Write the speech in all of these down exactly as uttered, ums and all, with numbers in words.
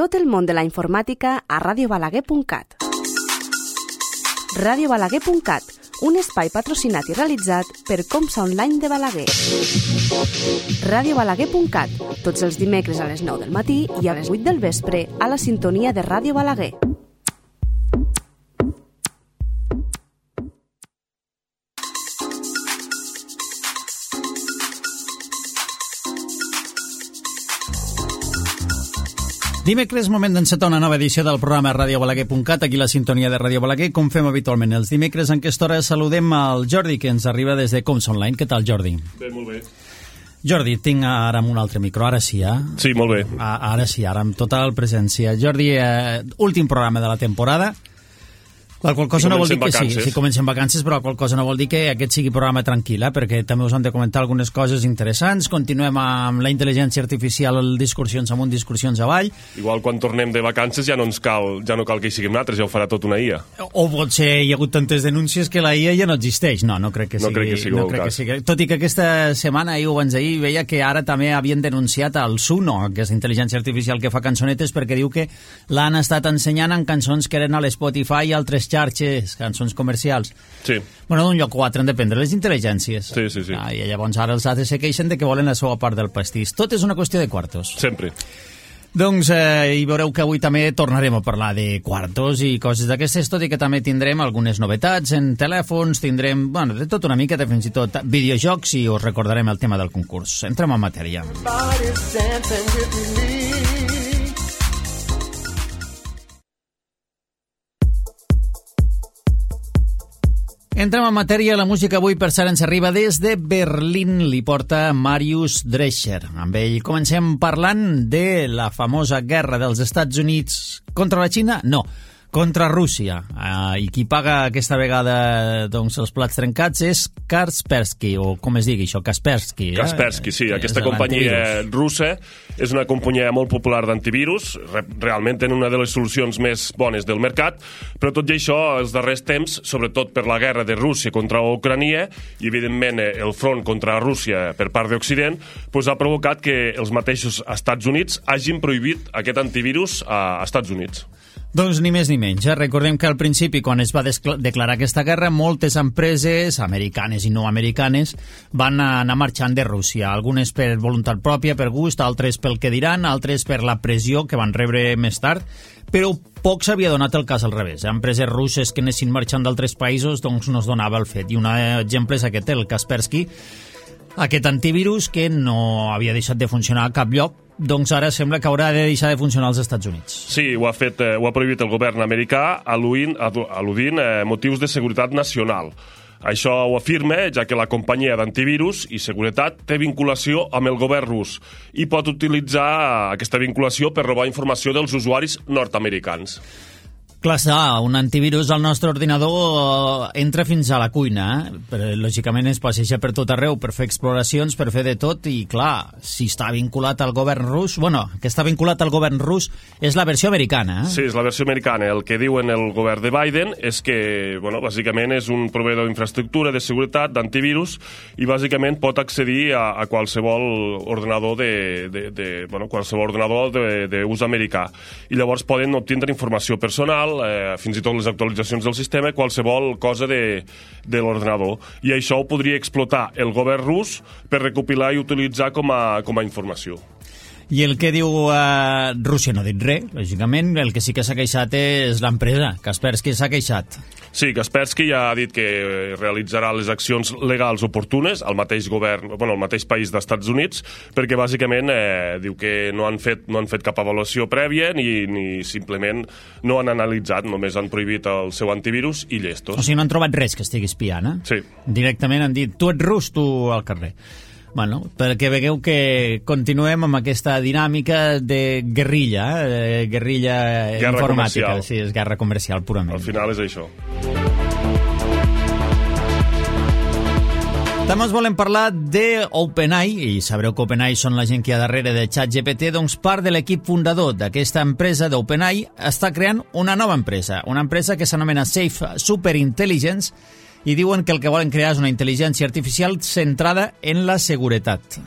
tot el món de la informàtica a radio balaguer punt cat. radio balaguer punt cat, un espai patrocinat i realitzat per Comsa Online de Balaguer. radio balaguer punt cat, tots els dimecres a les nou del matí i a les vuit del vespre a la sintonia de Ràdio Balaguer. Dimecres, moment d'encetar una nova edició del programa radio balaguer punt cat, aquí la sintonia de Ràdio Balaguer, com fem habitualment els dimecres. En aquesta hora saludem al Jordi, que ens arriba des de Comsa Online. Què tal, Jordi? Bé, molt bé. Jordi, tinc ara amb un altre micro, ara sí, eh? Sí, molt bé. A, ara sí, ara amb total presència. Jordi, eh, últim programa de la temporada. La qual cosa no vol dir que sí, sí, comencem vacances, però la qual cosa no vol dir que aquest sigui programa tranquil, eh? Perquè també us han de comentar algunes coses interessants. Continuem amb la intel·ligència artificial, discursions amunt, discursions avall. Igual quan tornem de vacances ja no ens cal, ja no cal que hi siguem nosaltres, ja ho farà tot una I A. O potser hi ha hagut tantes denúncies que la I A ja no existeix. No, no crec que sigui. No crec que sigui no crec que sigui. Tot i que aquesta setmana, ahir o abans d'ahir, veia que ara també havien denunciat el Suno, aquesta intel·ligència artificial que fa cançonetes, perquè diu que l'han estat ensenyant en cançons que eren a l'Spotify i altres xarxes, cançons comercials. Sí. Bueno, d'un lloc o altre han de prendre les intel·ligències. Sí, sí, sí. Ah, I llavors ara els altres se queixen de que volen la seva part del pastís. Tot és una qüestió de quartos. Sempre. Doncs eh, hi veureu que avui també tornarem a parlar de quartos i coses d'aquestes, tot i que també tindrem algunes novetats en telèfons, tindrem, bueno, de tot una mica, de fins i tot videojocs, i us recordarem el tema del concurs. Entrem en matèria. Entrem en matèria. La música avui, per cert, ens arriba des de Berlín. Li porta Marius Drescher. Amb ell comencem parlant de la famosa guerra dels Estats Units contra la Xina? No, contra Rússia. Uh, I qui paga aquesta vegada doncs, els plats trencats és Kaspersky, o com es digui això, Kaspersky. Eh? Kaspersky, sí. Aquesta companyia russa és una companyia molt popular d'antivirus. Realment tenen una de les solucions més bones del mercat, però tot i això, els darrers temps, sobretot per la guerra de Rússia contra Ucrània i, evidentment, el front contra Rússia per part d'Occident, doncs ha provocat que els mateixos Estats Units hagin prohibit aquest antivirus a Estats Units. Doncs ni més ni menys. Eh? Recordem que al principi, quan es va declarar aquesta guerra, moltes empreses, americanes i no americanes, van anar marxant de Rússia. Algunes per voluntat pròpia, per gust, altres pel que diran, altres per la pressió que van rebre més tard, però poc s'havia donat el cas al revés. Empreses russes que anessin marxant d'altres països, doncs no es donava el fet. I un exemple és aquest, el Kaspersky, aquest antivirus que no havia deixat de funcionar a cap lloc, doncs ara sembla que haurà de deixar de funcionar als Estats Units. Sí, ho ha fet, eh, ho ha prohibit el govern americà al·ludint, al·ludint eh, motius de seguretat nacional. Això ho afirma, ja que la companyia d'antivirus i seguretat té vinculació amb el govern rus i pot utilitzar aquesta vinculació per robar informació dels usuaris nord-americans. Clar, està, un antivirus al nostre ordinador entra fins a la cuina, eh? Però, lògicament es passeja per tot arreu per fer exploracions, per fer de tot, i clar, si està vinculat al govern rus, bueno, que està vinculat al govern rus és la versió americana, eh? Sí, és la versió americana. El que diuen el govern de Biden és que, bueno, bàsicament és un proveïdor d'infraestructura, de seguretat, d'antivirus, i bàsicament pot accedir a, a qualsevol ordenador de, de, de, bueno, qualsevol ordenador d'ús americà. I llavors poden obtindre informació personal, Eh, fins i tot les actualitzacions del sistema, qualsevol cosa de, de l'ordenador. I això ho podria explotar el govern rus per recopilar i utilitzar com a, com a informació. I el que diu eh, Rússia no ha dit res, lògicament. El que sí que s'ha queixat és l'empresa. Kaspersky s'ha queixat. Sí, Kaspersky ja ha dit que realitzarà les accions legals oportunes al mateix govern, bueno, al mateix país dels Estats Units, perquè bàsicament eh, diu que no han, fet, no han fet cap avaluació prèvia ni, ni simplement no han analitzat, només han prohibit el seu antivirus i llestos. O sigui, no han trobat res que estigui espiant, eh? Sí. Directament han dit, tu ets rus, tu al carrer. Bueno, perquè vegueu que continuem amb aquesta dinàmica de guerrilla, eh? guerrilla guerra informàtica. Comercial. Sí, és guerra comercial, purament. Al final és això. També us volem parlar de OpenAI, i sabreu que OpenAI són la gent que hi ha darrere de ChatGPT, doncs part de l'equip fundador d'aquesta empresa d'OpenAI està creant una nova empresa, una empresa que s'anomena Safe Superintelligence, i diuen que el que volen crear és una intel·ligència artificial centrada en la seguretat.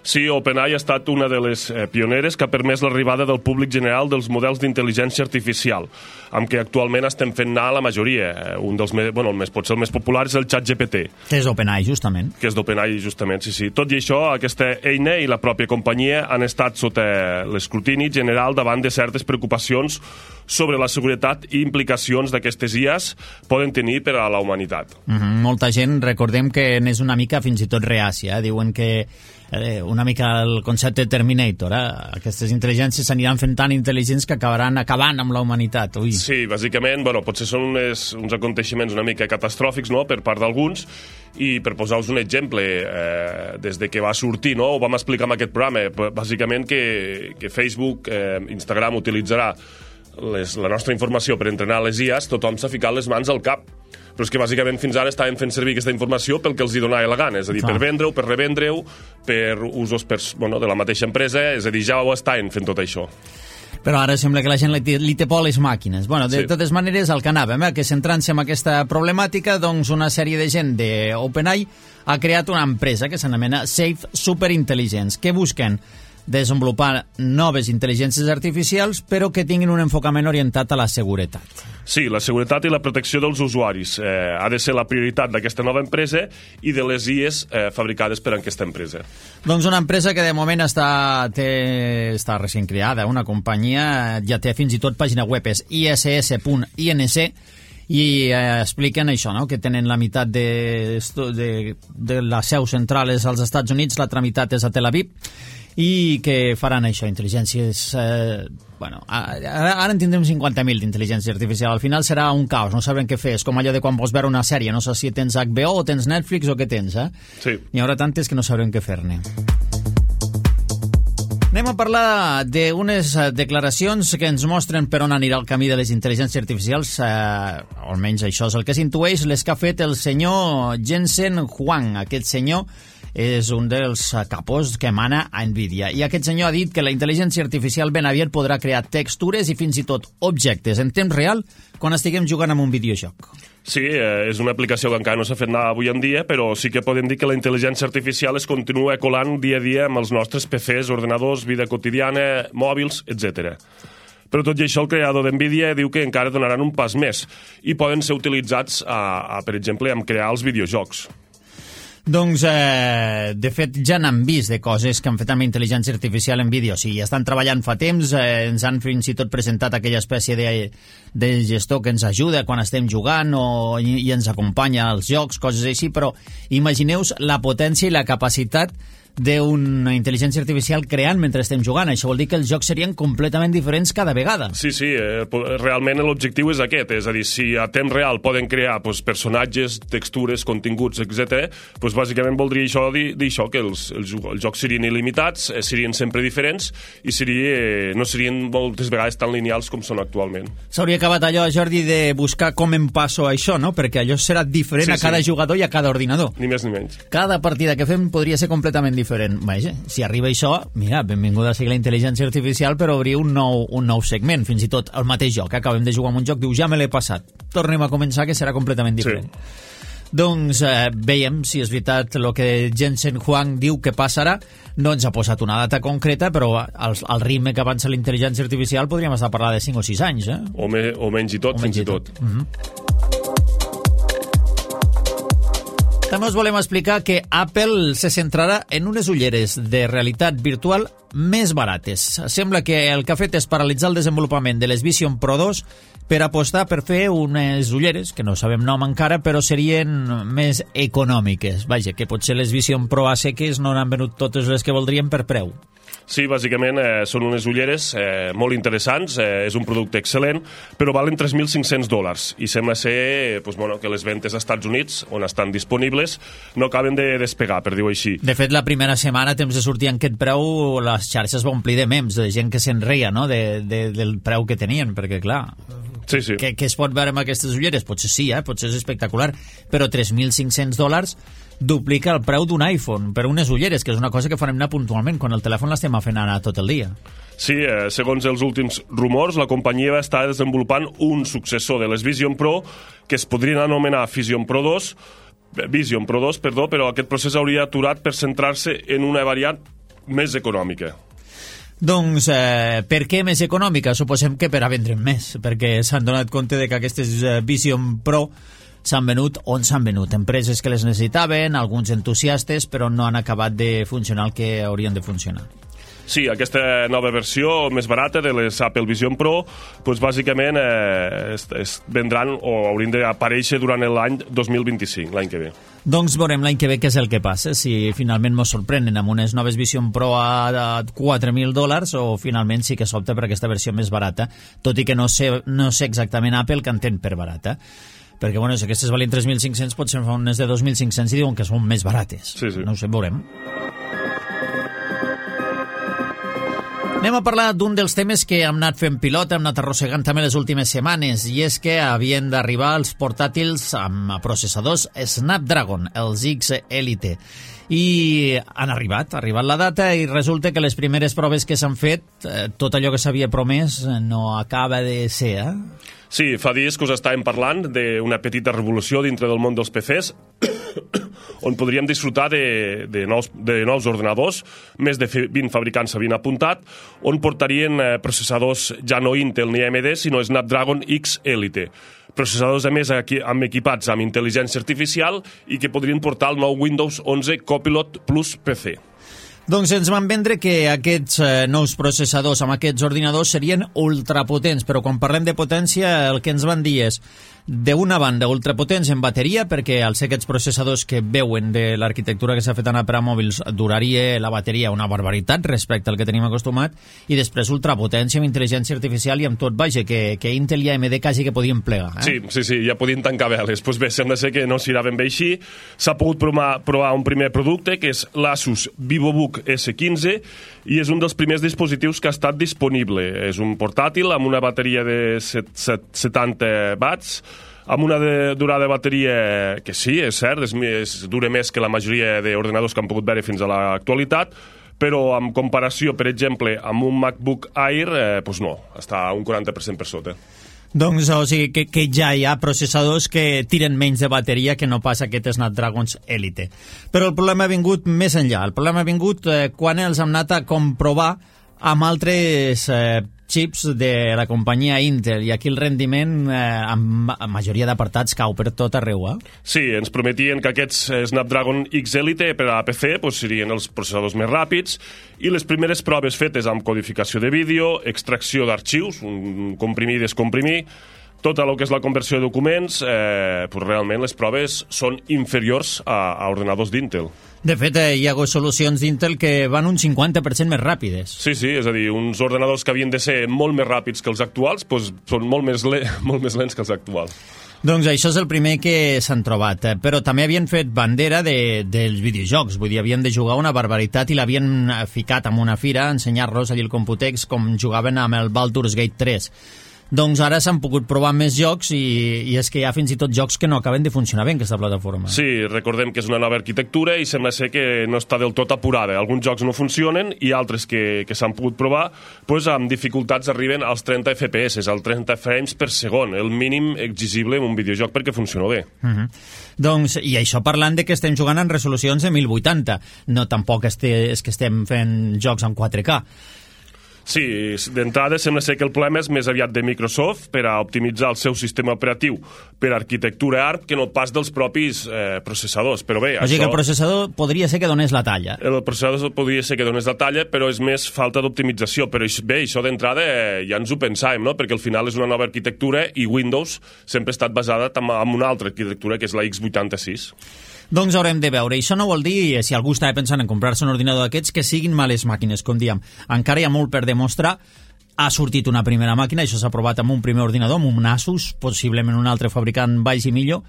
Sí, OpenAI ha estat una de les eh, pioneres que ha permès l'arribada del públic general dels models d'intel·ligència artificial, amb què actualment estem fent anar la majoria. Eh, un dels més, bueno, el més, potser el més popular és el ChatGPT. Que és OpenAI, justament. Que és d'OpenAI, justament, sí, sí. Tot i això, aquesta eina i la pròpia companyia han estat sota l'escrutini general davant de certes preocupacions sobre la seguretat i implicacions d'aquestes I As poden tenir per a la humanitat. Mm-hmm. Molta gent, recordem que n'és una mica fins i tot reàcia. Eh? Diuen que eh, una mica el concepte Terminator, eh? Aquestes intel·ligències s'aniran fent tan intel·ligents que acabaran acabant amb la humanitat. Ui. Sí, bàsicament, bueno, potser són unes, uns aconteixements una mica catastròfics, no?, per part d'alguns, i per posar-vos un exemple, eh, des de que va sortir, no?, ho vam explicar en aquest programa, bàsicament que, que Facebook, eh, Instagram utilitzarà les, la nostra informació per entrenar les I As, tothom s'ha ficat les mans al cap. Però és que bàsicament fins ara estaven fent servir aquesta informació pel que els hi donava la gana, és a dir, per vendre-ho, per revendre-ho, per usos per, bueno, de la mateixa empresa, és a dir, ja ho estaven fent tot això. Però ara sembla que la gent li té, li té por a les màquines. Bueno, de sí. totes maneres, el que anàvem, eh, que centrant-se en aquesta problemàtica, doncs una sèrie de gent d'OpenAI ha creat una empresa que s'anomena Safe Superintelligence, que busquen desenvolupar noves intel·ligències artificials, però que tinguin un enfocament orientat a la seguretat. Sí, la seguretat i la protecció dels usuaris eh, ha de ser la prioritat d'aquesta nova empresa i de les I As eh, fabricades per aquesta empresa. Doncs una empresa que de moment està, té, està recent creada, una companyia, ja té fins i tot pàgina web, és i s s punt i n c, i eh, expliquen això, no?, que tenen la meitat de, de, de la seu central és als Estats Units, l'altra meitat és a Tel Aviv, i que faran això, intel·ligències... Eh, bueno, ara, ara en tindrem cinquanta mil d'intel·ligència artificial. Al final serà un caos, no sabrem què fer. És com allò de quan vols veure una sèrie, no saps si tens H B O o tens Netflix o què tens, eh? Sí. N'hi haurà tantes que no sabrem què fer-ne. Anem a parlar d'unes declaracions que ens mostren per on anirà el camí de les intel·ligències artificials, eh, almenys això és el que s'intueix, les que ha fet el senyor Jensen Huang. Aquest senyor és un dels capos que emana a NVIDIA. I aquest senyor ha dit que la intel·ligència artificial ben aviat podrà crear textures i fins i tot objectes en temps real quan estiguem jugant amb un videojoc. Sí, eh, és una aplicació que encara no s'ha fet nada avui en dia, però sí que podem dir que la intel·ligència artificial es continua colant dia a dia amb els nostres P Cs, ordenadors, vida quotidiana, mòbils, etcètera. Però tot i això, el creador d'NVIDIA diu que encara donaran un pas més i poden ser utilitzats, a, a, per exemple, en crear els videojocs. Doncs, eh, de fet, ja n'han vist de coses que han fet amb intel·ligència artificial en vídeo. O sigui, estan treballant fa temps, eh, ens han fins i tot presentat aquella espècie de, de gestor que ens ajuda quan estem jugant o, i, i ens acompanya als jocs, coses així, però imagineu-vos la potència i la capacitat d'una intel·ligència artificial creant mentre estem jugant. Això vol dir que els jocs serien completament diferents cada vegada. Sí, sí, eh, realment l'objectiu és aquest, és a dir, si a temps real poden crear pues, personatges, textures, continguts, etcètera, pues, bàsicament voldria això dir, dir això, que els, els, els jocs serien il·limitats, eh, serien sempre diferents i seria, eh, no serien moltes vegades tan lineals com són actualment. S'hauria acabat allò, Jordi, de buscar com em passo això, no? Perquè allò serà diferent sí, a cada sí. jugador i a cada ordinador. Ni més ni menys. Cada partida que fem podria ser completament diferent. Vaja, si arriba això, mira, benvinguda a ser la intel·ligència artificial per obrir un nou, un nou segment, fins i tot el mateix joc. Acabem de jugar amb un joc, diu, ja me l'he passat. Tornem a començar, que serà completament diferent. Sí. Doncs eh, veiem si és veritat el que Jensen Huang diu que passarà. No ens ha posat una data concreta, però al, al ritme que avança la intel·ligència artificial podríem estar parlant de cinc o sis anys, eh? O, me, o menys i tot, o fins i tot. tot. Mm-hmm. També us volem explicar que Apple se centrarà en unes ulleres de realitat virtual més barates. Sembla que el que ha fet és paralitzar el desenvolupament de les Vision Pro dos per apostar per fer unes ulleres, que no sabem nom encara, però serien més econòmiques. Vaja, que potser les Vision Pro a seques no n'han venut totes les que voldrien per preu. Sí, bàsicament eh, són unes ulleres eh, molt interessants, eh, és un producte excel·lent, però valen tres mil cinc-cents dòlars i sembla ser pues, bueno, que les ventes als Estats Units, on estan disponibles, no acaben de despegar, per dir-ho així. De fet, la primera setmana, temps de sortir en aquest preu, les xarxes va omplir de memes, de gent que se'n reia, no?, de, de, del preu que tenien, perquè, clar... Sí, sí. Què, què es pot veure amb aquestes ulleres? Potser sí, eh? Potser és espectacular, però tres mil cinc-cents dòlars duplica el preu d'un iPhone per unes ulleres, que és una cosa que farem anar puntualment quan el telèfon l'estem fent anar tot el dia. Sí, eh, segons els últims rumors, la companyia va estar desenvolupant un successor de les Vision Pro que es podrien anomenar Vision Pro dos, Vision Pro dos, perdó, però aquest procés hauria aturat per centrar-se en una variant més econòmica. Doncs, eh, per què més econòmica? Suposem que per a vendre més, perquè s'han donat compte de que aquestes eh, Vision Pro s'han venut on s'han venut. Empreses que les necessitaven, alguns entusiastes, però no han acabat de funcionar el que haurien de funcionar. Sí, aquesta nova versió més barata de les Apple Vision Pro, doncs bàsicament eh, es, es vendran o haurien d'aparèixer durant l'any dos mil vint-i-cinc, l'any que ve. Doncs veurem l'any que ve què és el que passa, si finalment ens sorprenen amb unes noves Vision Pro a, a quatre mil dòlars o finalment sí que s'opta per aquesta versió més barata, tot i que no sé, no sé exactament Apple que entén per barata. Perquè, bueno, si aquestes valien tres mil cinc-cents, potser fa unes de dos mil cinc-cents i diuen que són més barates. Sí, sí. No ho sé, veurem. Anem a parlar d'un dels temes que hem anat fent pilota, hem anat arrossegant també les últimes setmanes, i és que havien d'arribar els portàtils amb processadors Snapdragon, els X Elite. I han arribat, ha arribat la data i resulta que les primeres proves que s'han fet, eh, tot allò que s'havia promès no acaba de ser, eh? Sí, fa dies que us estàvem parlant d'una petita revolució dintre del món dels P Cs on podríem disfrutar de, de, nous, de nous ordenadors, més de vint fabricants s'havien apuntat, on portarien eh, processadors ja no Intel ni A M D, sinó Snapdragon X Elite. Processadors, a més, aquí, amb equipats amb intel·ligència artificial i que podrien portar el nou Windows onze Copilot Plus P C. Doncs ens van vendre que aquests eh, nous processadors amb aquests ordinadors serien ultrapotents, però quan parlem de potència el que ens van dir és d'una banda ultrapotents en bateria, perquè al ser aquests processadors que veuen de l'arquitectura que s'ha fet anar per a mòbils duraria la bateria una barbaritat respecte al que tenim acostumat, i després ultrapotència amb intel·ligència artificial i amb tot, vaja, que, que Intel i A M D quasi que podien plegar. Eh? Sí, sí, sí, ja podien tancar veles. Pues bé, sembla ser que no s'irà ben bé així. S'ha pogut provar, provar un primer producte, que és l'Asus VivoBook S quinze, i és un dels primers dispositius que ha estat disponible. És un portàtil amb una bateria de setanta watts, amb una de, durada de bateria que sí, és cert, és, és, dura més que la majoria d'ordenadors que han pogut veure fins a l'actualitat, però en comparació, per exemple, amb un MacBook Air, eh, doncs no, està un quaranta per cent per sota. Doncs, o sigui, que, que ja hi ha processadors que tiren menys de bateria que no pas aquest Snapdragon Elite. Però el problema ha vingut més enllà. El problema ha vingut eh, quan els hem anat a comprovar amb altres eh, xips de la companyia Intel, i aquí el rendiment eh, amb majoria d'apartats cau per tot arreu, eh? Sí, ens prometien que aquests Snapdragon X Elite per a P C pues, serien els processadors més ràpids, i les primeres proves fetes amb codificació de vídeo, extracció d'arxius, un comprimir i descomprimir, tot el que és la conversió de documents, eh, pues realment les proves són inferiors a, a ordenadors d'Intel. De fet, eh, hi ha solucions d'Intel que van un cinquanta per cent més ràpides. Sí, sí, és a dir, uns ordenadors que havien de ser molt més ràpids que els actuals, doncs són molt més, le molt més lents que els actuals. Doncs això és el primer que s'han trobat, eh? Però també havien fet bandera de, dels videojocs, vull dir, havien de jugar una barbaritat i l'havien ficat en una fira a ensenyar-los allà al Computex com jugaven amb el Baldur's Gate tres. Doncs ara s'han pogut provar més jocs i, i és que hi ha fins i tot jocs que no acaben de funcionar bé en aquesta plataforma. Sí, recordem que és una nova arquitectura i sembla ser que no està del tot apurada. Alguns jocs no funcionen i altres que, que s'han pogut provar doncs amb dificultats arriben als trenta F P S, als trenta frames per segon, el mínim exigible en un videojoc perquè funciona bé. Uh -huh. Doncs, i això parlant de que estem jugant en resolucions de mil vuitanta, no tampoc este, és que estem fent jocs en quatre K. Sí, d'entrada sembla ser que el problema és més aviat de Microsoft per a optimitzar el seu sistema operatiu per arquitectura A R M que no pas dels propis eh, processadors, però bé... O sigui això, que el processador podria ser que donés la talla. El processador podria ser que donés la talla, però és més falta d'optimització. Però bé, això d'entrada eh, ja ens ho pensàvem, no? Perquè al final és una nova arquitectura i Windows sempre ha estat basada en una altra arquitectura, que és la X vuitanta-sis. Doncs haurem de veure. I això no vol dir, si algú estava pensant en comprar-se un ordinador d'aquests, que siguin males màquines, com diem. Encara hi ha molt per demostrar. Ha sortit una primera màquina, això s'ha provat amb un primer ordinador, amb un Asus, possiblement un altre fabricant baix i millor,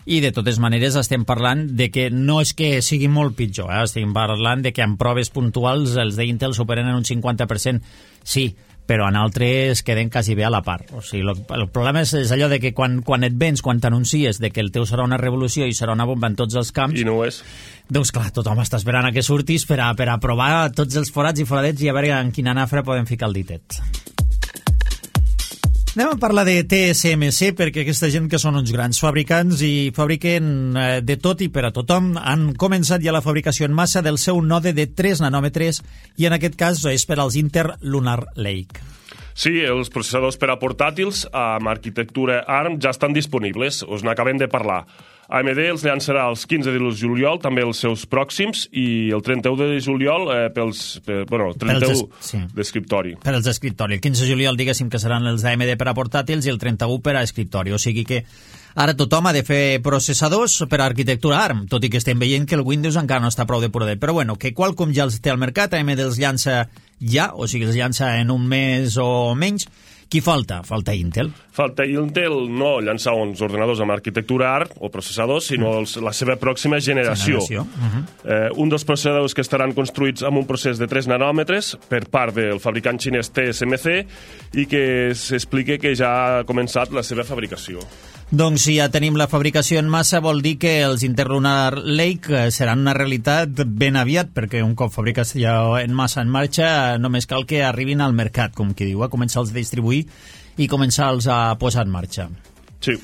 i de totes maneres estem parlant de que no és que sigui molt pitjor, eh? Estem parlant de que en proves puntuals els d'Intel superen en un cinquanta per cent, sí, però en altres queden quasi bé a la part. O sigui, el, el problema és, és allò de que quan, quan et vens, quan t'anuncies de que el teu serà una revolució i serà una bomba en tots els camps... I no ho és. Doncs clar, tothom està esperant a que surtis per a, per a provar tots els forats i foradets i a veure en quina nafra podem ficar el ditet. Anem a parlar de T S M C, perquè aquesta gent que són uns grans fabricants i fabriquen eh, de tot i per a tothom, han començat ja la fabricació en massa del seu node de tres nanòmetres i en aquest cas és per als Intel Lunar Lake. Sí, els processadors per a portàtils amb arquitectura ARM ja estan disponibles, us n'acabem de parlar. A M D els llançarà el quinze de juliol, també els seus pròxims, i el trenta-u de juliol eh, pels... Per, bueno, trenta-u sí. d'escriptori. Per als d'escriptori. El quinze de juliol, diguéssim, que seran els A M D per a portàtils i el trenta-u per a escriptori. O sigui que ara tothom ha de fer processadors per a arquitectura ARM, tot i que estem veient que el Windows encara no està prou depurat. Però bueno, que Qualcomm ja els té al mercat, A M D els llança ja, o sigui, els llança en un mes o menys. Qui falta? Falta Intel. Falta Intel no llançar uns ordenadors amb arquitectura ARM o processadors, sinó els, la seva pròxima generació. generació. Uh-huh. eh, un dels processadors que estaran construïts amb un procés de tres nanòmetres per part del fabricant xinès T S M C i que s'explica que ja ha començat la seva fabricació. Doncs si ja tenim la fabricació en massa vol dir que els Interlunar Lake seran una realitat ben aviat, perquè un cop fabricació en massa en marxa només cal que arribin al mercat, com qui diu, a començar-los a distribuir i començar-los a posar en marxa. Sí.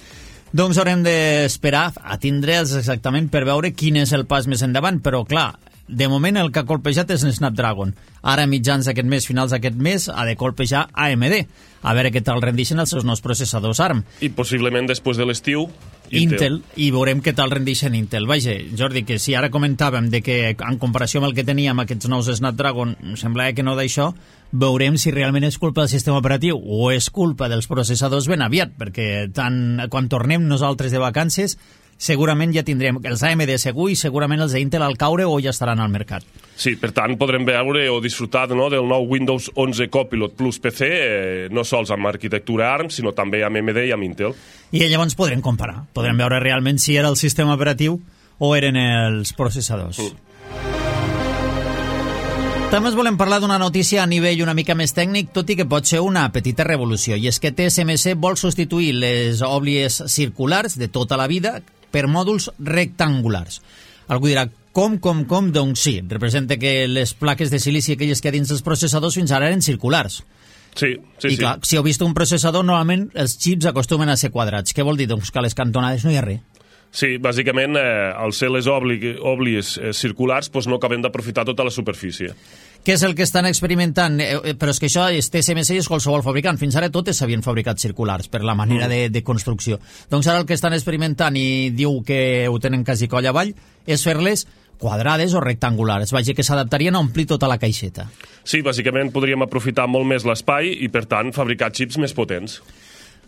Doncs haurem d'esperar a tindre'ls exactament per veure quin és el pas més endavant, però clar, de moment el que ha colpejat és Snapdragon. Ara, mitjans d'aquest mes, finals d'aquest mes, ha de colpejar A M D. A veure què tal rendixen els seus nous processadors ARM. I possiblement després de l'estiu, Intel. Intel, i veurem què tal rendixen Intel. Vaja, Jordi, que si ara comentàvem de que en comparació amb el que teníem aquests nous Snapdragon, semblava que no d'això, veurem si realment és culpa del sistema operatiu o és culpa dels processadors ben aviat, perquè tant, quan tornem nosaltres de vacances segurament ja tindrem els A M D segur i segurament els d'Intel al caure o ja estaran al mercat. Sí, per tant, podrem veure o disfrutar no, del nou Windows onze Copilot Plus P C, eh, no sols amb arquitectura ARM, sinó també amb A M D i amb Intel. I llavors podrem comparar, podrem veure realment si era el sistema operatiu o eren els processadors. Mm. També us volem parlar d'una notícia a nivell una mica més tècnic, tot i que pot ser una petita revolució, i és que T S M C vol substituir les òblies circulars de tota la vida per mòduls rectangulars. Algú dirà, com, com, com? Doncs sí, representa que les plaques de silici aquelles que hi ha dins dels processadors fins ara eren circulars. Sí, sí, I clar, sí. si heu vist un processador, normalment els xips acostumen a ser quadrats. Què vol dir? Doncs que a les cantonades no hi ha res. Sí, bàsicament, eh, al ser les òblies eh, circulars, doncs no acabem d'aprofitar tota la superfície. Què és el que estan experimentant? Eh, però és que això és T S M C i és qualsevol fabricant. Fins ara totes s'havien fabricat circulars per la manera mm. de, de construcció. Doncs ara el que estan experimentant, i diu que ho tenen quasi coll avall, és fer-les quadrades o rectangulars. Vaja, que s'adaptarien a omplir tota la caixeta. Sí, bàsicament podríem aprofitar molt més l'espai i, per tant, fabricar xips més potents.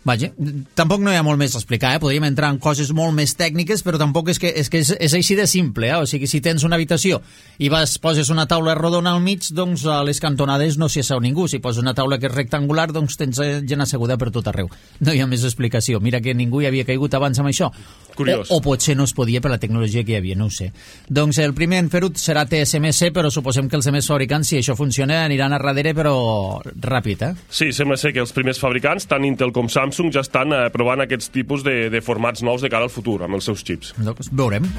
Vaja, tampoc no hi ha molt més a explicar, eh? Podríem entrar en coses molt més tècniques, però tampoc és que és, que és, és així de simple, eh? O sigui, si tens una habitació i vas, poses una taula rodona al mig, doncs a les cantonades no s'hi asseu ningú. Si poses una taula que és rectangular, doncs tens gent asseguda per tot arreu. No hi ha més explicació. Mira que ningú hi havia caigut abans amb això. Curiós. O, o potser no es podia per la tecnologia que hi havia, no ho sé. Doncs el primer en fer-ho serà T S M C, però suposem que els altres fabricants, si això funciona, aniran a darrere, però ràpid, eh? Sí, sembla ser que els primers fabricants, tant Intel com Samsung, ja estan eh, provant aquests tipus de, de formats nous de cara al futur, amb els seus xips. Doncs veurem.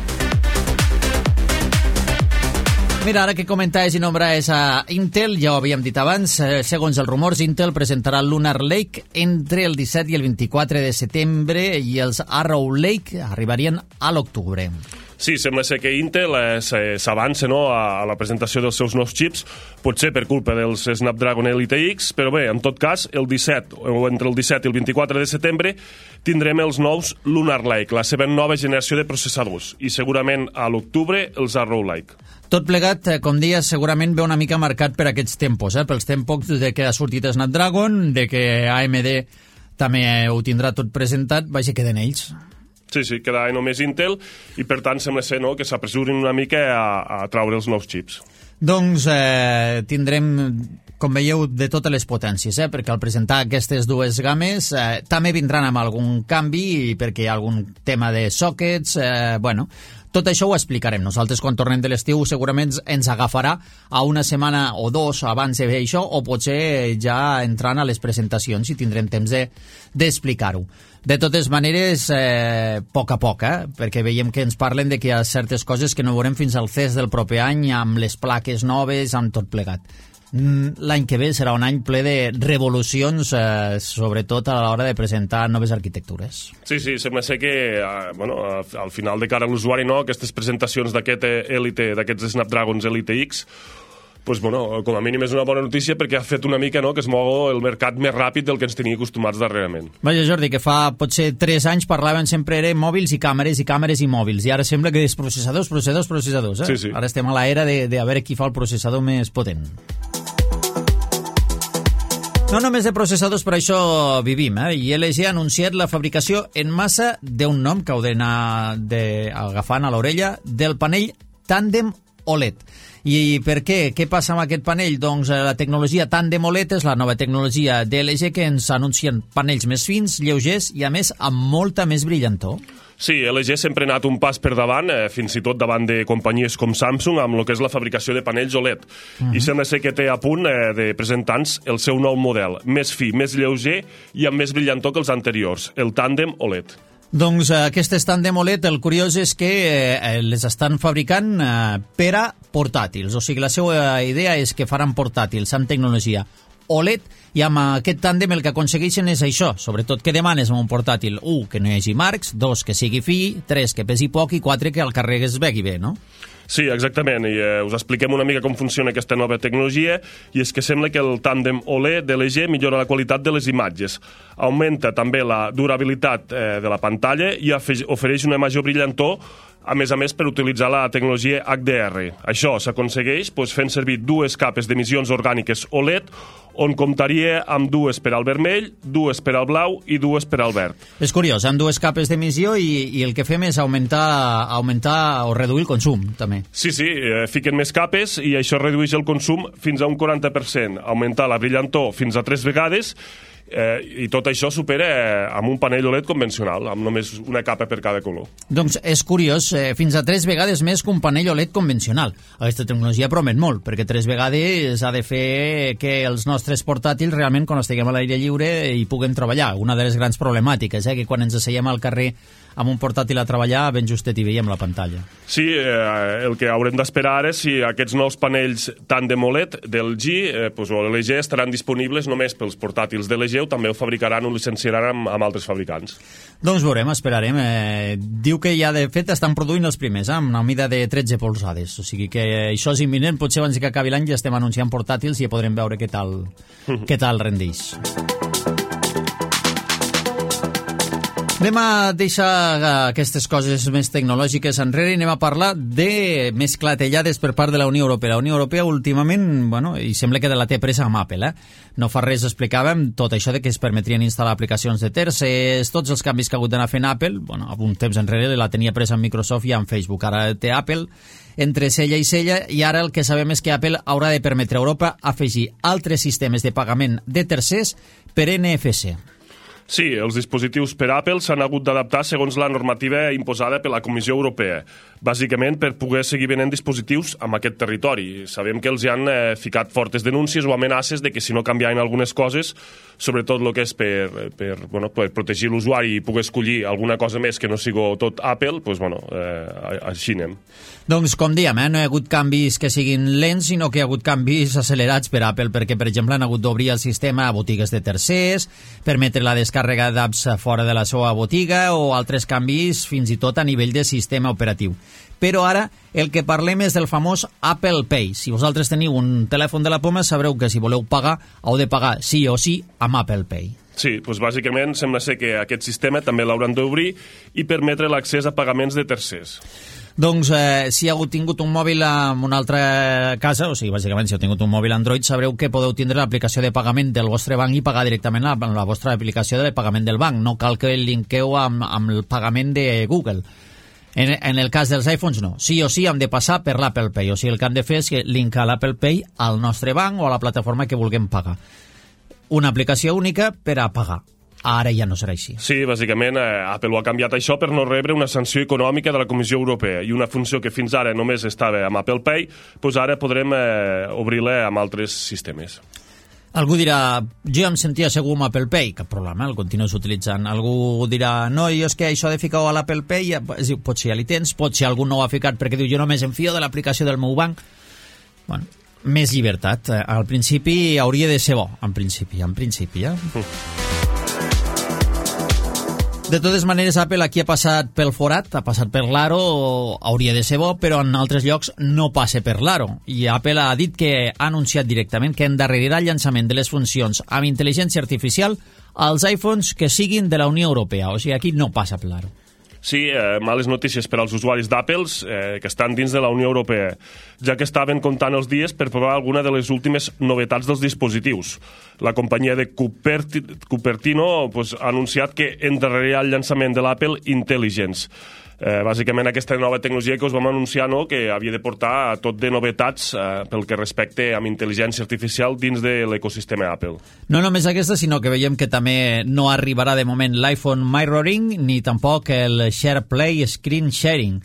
Mira, ara que comentaves i nombraves a Intel, ja ho havíem dit abans, eh, segons els rumors, Intel presentarà el Lunar Lake entre el disset i el vint-i-quatre de setembre i els Arrow Lake arribarien a l'octubre. Sí, sembla ser que Intel eh, s'avança no, a, a la presentació dels seus nous xips, potser per culpa dels Snapdragon Elite X, però bé, en tot cas, el disset, o entre el disset i el vint-i-quatre de setembre, tindrem els nous Lunar Lake, la seva nova generació de processadors, i segurament a l'octubre els Arrow Lake. Tot plegat, com dies, segurament ve una mica marcat per aquests tempos, eh? Pels tempos de que ha sortit Snapdragon, de que A M D també ho tindrà tot presentat, vaja, queden ells. Sí, sí, queda només Intel i per tant sembla ser no, que s'apressurin una mica a, a traure els nous xips. Doncs eh, tindrem, com veieu, de totes les potències, eh? Perquè al presentar aquestes dues games eh, també vindran amb algun canvi perquè hi ha algun tema de sockets, eh, bueno... Tot això ho explicarem. Nosaltres, quan tornem de l'estiu, segurament ens agafarà a una setmana o dos abans de fer això, o potser ja entrant a les presentacions i tindrem temps d'explicar-ho. De totes maneres, eh, a poc a poc, eh? Perquè veiem que ens parlen de que hi ha certes coses que no veurem fins al C E S del proper any, amb les plaques noves, amb tot plegat. l'any que ve serà un any ple de revolucions, eh, sobretot a l'hora de presentar noves arquitectures. Sí, sí, sembla ser que eh, bueno, al final de cara a l'usuari, no, aquestes presentacions d'aquest Elite, d'aquests Snapdragons Elite X, pues, bueno, com a mínim és una bona notícia perquè ha fet una mica, no, que es mou el mercat més ràpid del que ens tenia acostumats darrerament. Vaja, Jordi, que fa potser tres anys parlaven sempre de mòbils i càmeres i càmeres i mòbils, i ara sembla que és processadors, processadors, processadors. Eh? Sí, sí. Ara estem a l'era de, de a veure qui fa el processador més potent. No només de processadors, per això vivim, eh? I L G ha anunciat la fabricació en massa d'un nom que heu d'anar de, agafant a l'orella, del panell Tandem O L E D. I per què? Què passa amb aquest panell? Doncs la tecnologia Tandem O L E D és la nova tecnologia d'L G que ens anuncien panells més fins, lleugers i, a més, amb molta més brillantor. Sí, L G sempre ha anat un pas per davant, eh, fins i tot davant de companyies com Samsung, amb el que és la fabricació de panells O L E D. Uh-huh. I sembla ser que té a punt eh, de presentants el seu nou model, més fi, més lleuger i amb més brillantor que els anteriors, el Tandem O L E D. Doncs eh, aquestes Tandem O L E D, el curiós és que eh, les estan fabricant eh, per a portàtils. O sigui, la seva idea és que faran portàtils amb tecnologia O L E D, i amb aquest tàndem el que aconsegueixen és això, sobretot que demanes amb un portàtil, un, que no hi hagi marcs, dos, que sigui fi, tres, que pesi poc, i quatre, que el carregues begui bé, no? Sí, exactament, i eh, us expliquem una mica com funciona aquesta nova tecnologia, i és que sembla que el tàndem O L E D de L G millora la qualitat de les imatges, augmenta també la durabilitat eh, de la pantalla i ofereix una major brillantor, a més a més per utilitzar la tecnologia H D R. Això s'aconsegueix doncs, fent servir dues capes d'emissions orgàniques O L E D, on comptaria amb dues per al vermell, dues per al blau i dues per al verd. És curiós, amb dues capes d'emissió i, i el que fem és augmentar, augmentar o reduir el consum, també. Sí, sí, eh, fiquen més capes i això redueix el consum fins a un quaranta per cent, augmentar la brillantor fins a tres vegades, Eh, i tot això supera eh, amb un panell O L E D convencional, amb només una capa per cada color. Doncs és curiós, eh, fins a tres vegades més que un panell O L E D convencional. Aquesta tecnologia promet molt, perquè tres vegades ha de fer que els nostres portàtils realment, quan estiguem a l'aire lliure, hi puguem treballar. Una de les grans problemàtiques, eh, que quan ens asseiem al carrer amb un portàtil a treballar, ben justet hi veiem la pantalla. Sí, eh, el que haurem d'esperar ara és si aquests nous panells Tandem O L E D del G eh, pues, o L G estaran disponibles només pels portàtils de L G o també ho fabricaran o licenciaran amb, amb altres fabricants. Doncs veurem, esperarem. Eh, diu que ja de fet estan produint els primers, eh, amb una mida de tretze polzades, o sigui que això és imminent, potser abans que acabi l'any ja estem anunciant portàtils i ja podrem veure què tal, què tal rendeix. Anem a deixar aquestes coses més tecnològiques enrere i anem a parlar de més clatellades per part de la Unió Europea. La Unió Europea últimament, bueno, i sembla que de la té presa amb Apple, eh? No fa res explicàvem tot això de que es permetrien instal·lar aplicacions de terces, tots els canvis que ha hagut d'anar fent Apple, bueno, un temps enrere la tenia presa amb Microsoft i amb Facebook, ara té Apple entre cella i cella, i ara el que sabem és que Apple haurà de permetre a Europa afegir altres sistemes de pagament de tercers per N F C. Sí, els dispositius per Apple s'han hagut d'adaptar segons la normativa imposada per la Comissió Europea, bàsicament per poder seguir venent dispositius amb aquest territori. Sabem que els hi han eh, ficat fortes denúncies o amenaces de que si no canviaven algunes coses, sobretot el que és per, per, bueno, per protegir l'usuari i poder escollir alguna cosa més que no sigui tot Apple, doncs, bueno, eh, així anem. Doncs, com diem, eh, no hi ha hagut canvis que siguin lents, sinó que hi ha hagut canvis accelerats per Apple, perquè, per exemple, han hagut d'obrir el sistema a botigues de tercers, permetre la descàrrega d'apps fora de la seva botiga o altres canvis fins i tot a nivell de sistema operatiu. Però ara el que parlem és del famós Apple Pay. Si vosaltres teniu un telèfon de la poma, sabreu que si voleu pagar, heu de pagar sí o sí amb Apple Pay. Sí, doncs bàsicament sembla ser que aquest sistema també l'hauran d'obrir i permetre l'accés a pagaments de tercers. Doncs eh, si heu tingut un mòbil en una altra casa, o sigui, bàsicament si heu tingut un mòbil Android, sabreu que podeu tindre l'aplicació de pagament del vostre banc i pagar directament la, la vostra aplicació de pagament del banc. No cal que el linqueu amb, amb el pagament de Google. En, en el cas dels iPhones no. Sí o sí hem de passar per l'Apple Pay. O sigui, el que hem de fer és linkar l'Apple Pay al nostre banc o a la plataforma que vulguem pagar. Una aplicació única per a pagar. Ara ja no serà així. Sí, bàsicament eh, Apple ho ha canviat això per no rebre una sanció econòmica de la Comissió Europea i una funció que fins ara només estava amb Apple Pay, doncs ara podrem eh, obrir-la amb altres sistemes. Algú dirà, jo em sentia segur amb Apple Pay, cap problema, el continues utilitzant. Algú dirà, no, jo és que això de ficar-ho a l'Apple Pay, ja, pot ser ja li tens, pot ser algú no ho ha ficat perquè diu, jo només em fio de l'aplicació del meu banc. Bueno, més llibertat. Al principi hauria de ser bo, en principi, en principi, ja. De totes maneres, Apple aquí ha passat pel forat, ha passat per l'aro, hauria de ser bo, però en altres llocs no passa per l'aro. I Apple ha dit que ha anunciat directament que endarrerirà el llançament de les funcions amb intel·ligència artificial als iPhones que siguin de la Unió Europea. O sigui, aquí no passa per l'aro. Sí, eh, males notícies per als usuaris d'Apple eh, que estan dins de la Unió Europea, ja que estaven comptant els dies per provar alguna de les últimes novetats dels dispositius. La companyia de Cuperti Cupertino pues, ha anunciat que endarrerirà el llançament de l'Apple Intelligence. Eh, bàsicament aquesta nova tecnologia que us vam anunciar, no?, que havia de portar tot de novetats eh, pel que respecte amb intel·ligència artificial dins de l'ecosistema Apple. No només aquesta, sinó que veiem que també no arribarà de moment l'iPhone Mirroring ni tampoc el SharePlay Screen Sharing.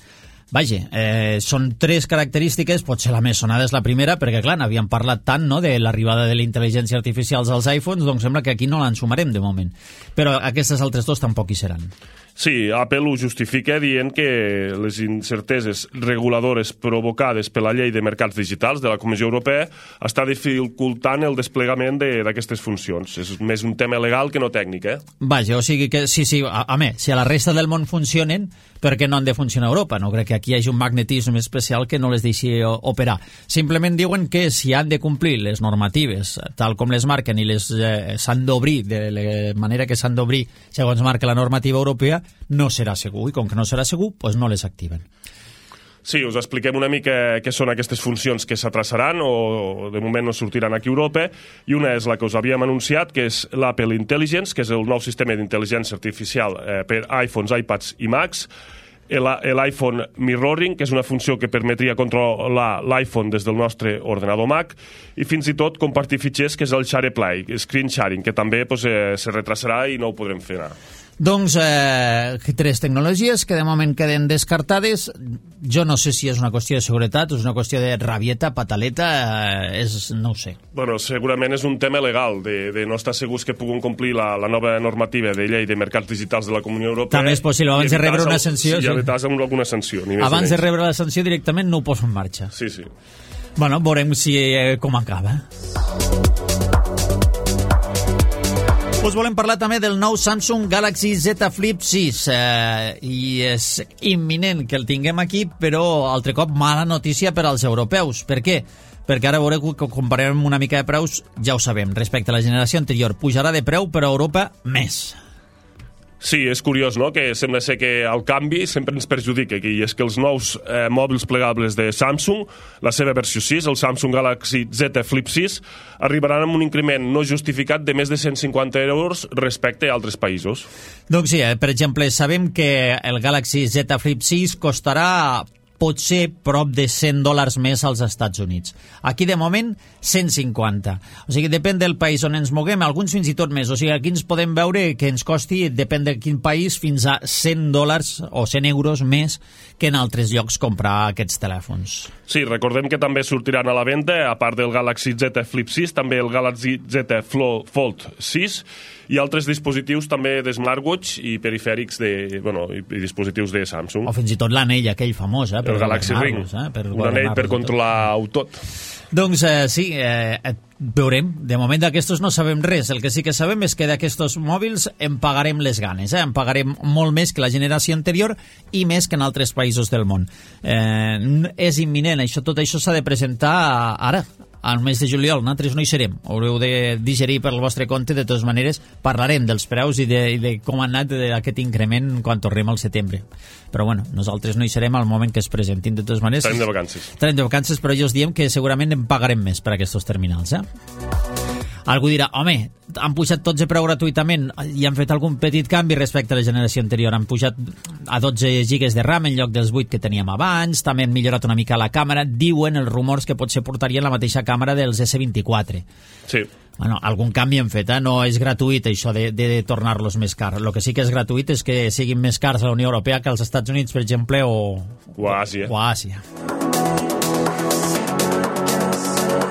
Vaja, eh, són tres característiques, potser la més sonada és la primera, perquè clar, n'havíem parlat tant, no?, de l'arribada de la intel·ligència artificial als iPhones, doncs sembla que aquí no l'ensumarem de moment. Però aquestes altres dos tampoc hi seran. Sí, Apple ho justifica dient que les incerteses reguladores provocades per la llei de mercats digitals de la Comissió Europea està dificultant el desplegament d'aquestes funcions. És més un tema legal que no tècnic, eh? Vaja, o sigui que, sí, sí, a, a més, si a la resta del món funcionen, per què no han de funcionar a Europa? No crec que aquí hi hagi un magnetisme especial que no les deixi operar. Simplement diuen que si han de complir les normatives tal com les marquen i les eh, s'han d'obrir de la manera que s'han d'obrir segons marca la normativa europea, no serà segur, i com que no serà segur, doncs no les activen. Sí, us expliquem una mica què són aquestes funcions que s'atrasaran o de moment no sortiran aquí a Europa, i una és la que us havíem anunciat, que és l'Apple Intelligence, que és el nou sistema d'intel·ligència artificial eh, per iPhones, iPads i Macs, l'iPhone Mirroring, que és una funció que permetria controlar l'iPhone des del nostre ordenador Mac, i fins i tot compartir fitxers, que és el SharePlay, Screen Sharing, que també pues, eh, se retrasarà i no ho podrem fer anar. Doncs eh, tres tecnologies que de moment queden descartades. Jo no sé si és una qüestió de seguretat o és una qüestió de rabieta, pataleta, eh, és, no ho sé. Bueno, segurament és un tema legal, de, de no estar segurs que puguin complir la, la nova normativa de llei de mercats digitals de la Comunió Europea. També és possible, abans de rebre una sanció. Sí, i evitar amb alguna sanció. Ni abans de rebre la sanció directament no ho poso en marxa. Sí, sí. Bueno, veurem si, eh, com acaba. Us volem parlar també del nou Samsung Galaxy Z Flip sis eh, i és imminent que el tinguem aquí, però altre cop mala notícia per als europeus. Per què? Perquè ara veureu que comparem una mica de preus, ja ho sabem, respecte a la generació anterior. Pujarà de preu, però a Europa més. Sí, és curiós, no?, que sembla ser que el canvi sempre ens perjudica aquí, i és que els nous eh, mòbils plegables de Samsung, la seva versió sis, el Samsung Galaxy Z Flip sis, arribaran amb un increment no justificat de més de cent cinquanta euros respecte a altres països. Doncs sí, eh, per exemple, sabem que el Galaxy Z Flip sis costarà potser prop de cent dòlars més als Estats Units. Aquí, de moment, cent cinquanta. O sigui, depèn del país on ens moguem, alguns fins i tot més. O sigui, aquí ens podem veure que ens costi, depèn de quin país, fins a cent dòlars o cent euros més que en altres llocs comprar aquests telèfons. Sí, recordem que també sortiran a la venda, a part del Galaxy Z Flip sis, també el Galaxy Z Fold sis i altres dispositius també de smartwatch i perifèrics de, bueno, i, i dispositius de Samsung. O fins i tot l'anell aquell famós, eh? El Galaxy Ring, eh? per un anell per controlar-ho tot. Doncs eh, sí, eh, veurem. De moment d'aquestos no sabem res. El que sí que sabem és que d'aquestos mòbils en pagarem les ganes. Eh? En pagarem molt més que la generació anterior i més que en altres països del món. Eh, és imminent. Això, tot això s'ha de presentar ara, al mes de juliol. Nosaltres no hi serem. Haureu de digerir per el vostre compte. De totes maneres, parlarem dels preus i de, i de com ha anat aquest increment quan tornem al setembre. Però bueno, nosaltres no hi serem al moment que es presentin. De totes maneres, estarem de vacances. Estarem de vacances, però jo us diem que segurament en pagarem més per aquests terminals, eh? Algú dirà, home, han pujat tots de preu gratuïtament i han fet algun petit canvi respecte a la generació anterior. Han pujat a dotze gigas de RAM en lloc dels vuit que teníem abans, també han millorat una mica la càmera. Diuen els rumors que potser portarien la mateixa càmera dels esse vint-i-quatre. Sí. Bueno, algun canvi han fet, eh? No és gratuït això de, de, de tornar-los més cars. El que sí que és gratuït és que siguin més cars a la Unió Europea que als Estats Units, per exemple, o, o a Àsia. O a Àsia.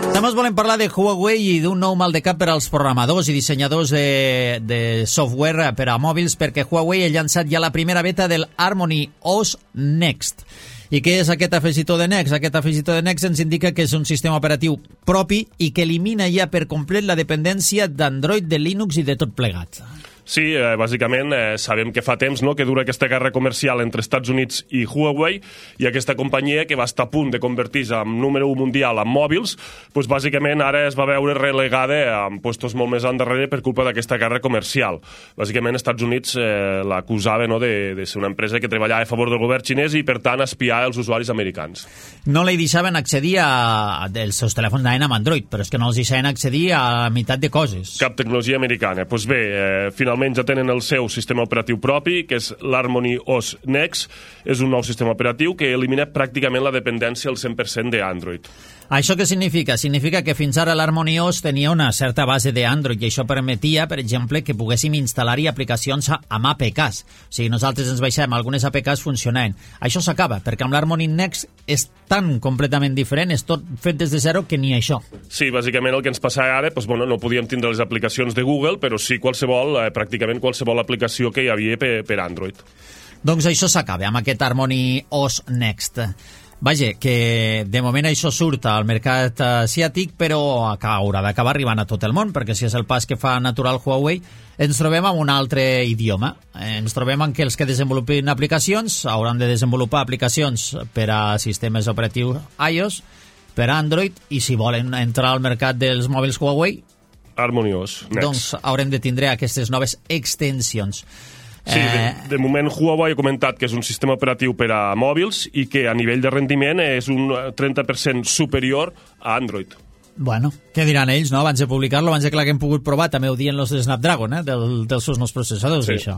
També us volem parlar de Huawei i d'un nou mal de cap per als programadors i dissenyadors de, de software per a mòbils, perquè Huawei ha llançat ja la primera beta del Harmony O S Next. I què és aquest afegitó de Next? Aquest afegitó de Next ens indica que és un sistema operatiu propi i que elimina ja per complet la dependència d'Android, de Linux i de tot plegat. Sí, eh, bàsicament eh, sabem que fa temps, no?, que dura aquesta guerra comercial entre Estats Units i Huawei, i aquesta companyia que va estar a punt de convertir-se en número un mundial en mòbils, doncs bàsicament ara es va veure relegada en puestos molt més endarrere per culpa d'aquesta guerra comercial. Bàsicament Estats Units eh, l'acusava, no?, de, de ser una empresa que treballava a favor del govern xinès i per tant espiar els usuaris americans. No li deixaven accedir a... Els seus telèfons anaven amb Android, però és que no els deixaven accedir a la meitat de coses. Cap tecnologia americana. Doncs bé, eh, finalment ja tenen el seu sistema operatiu propi, que és l'Harmony O S Next. És un nou sistema operatiu que elimina pràcticament la dependència al cent per cent d'Android. Això què significa? Significa que fins ara l'Harmony O S tenia una certa base d'Android i això permetia, per exemple, que poguéssim instal·lar-hi aplicacions amb A P Ks. O sigui, nosaltres ens baixem, algunes A P Ks funcionaven. Això s'acaba, perquè amb l'Harmony Next és tan completament diferent, és tot fet des de zero, que ni això. Sí, bàsicament el que ens passa ara, doncs, bueno, no podíem tindre les aplicacions de Google, però sí qualsevol, eh, pràcticament qualsevol aplicació que hi havia per, per Android. Doncs això s'acaba amb aquest Harmony O S Next. Vaja, que de moment això surt al mercat asiàtic, però haurà d'acabar arribant a tot el món, perquè si és el pas que fa natural Huawei, ens trobem amb un altre idioma. Ens trobem amb que els que desenvolupin aplicacions hauran de desenvolupar aplicacions per a sistemes operatius iOS, per Android, i si volen entrar al mercat dels mòbils Huawei, Harmony O S Next. Doncs haurem de tindre aquestes noves extensions. Sí, de, de moment Huawei ha comentat que és un sistema operatiu per a mòbils i que a nivell de rendiment és un trenta per cent superior a Android. Bueno, què diran ells, no? Abans de publicar-lo, abans de que l'haguem pogut provar, també ho diuen els de Snapdragon, eh? Del, dels seus nous processadors, sí. Això.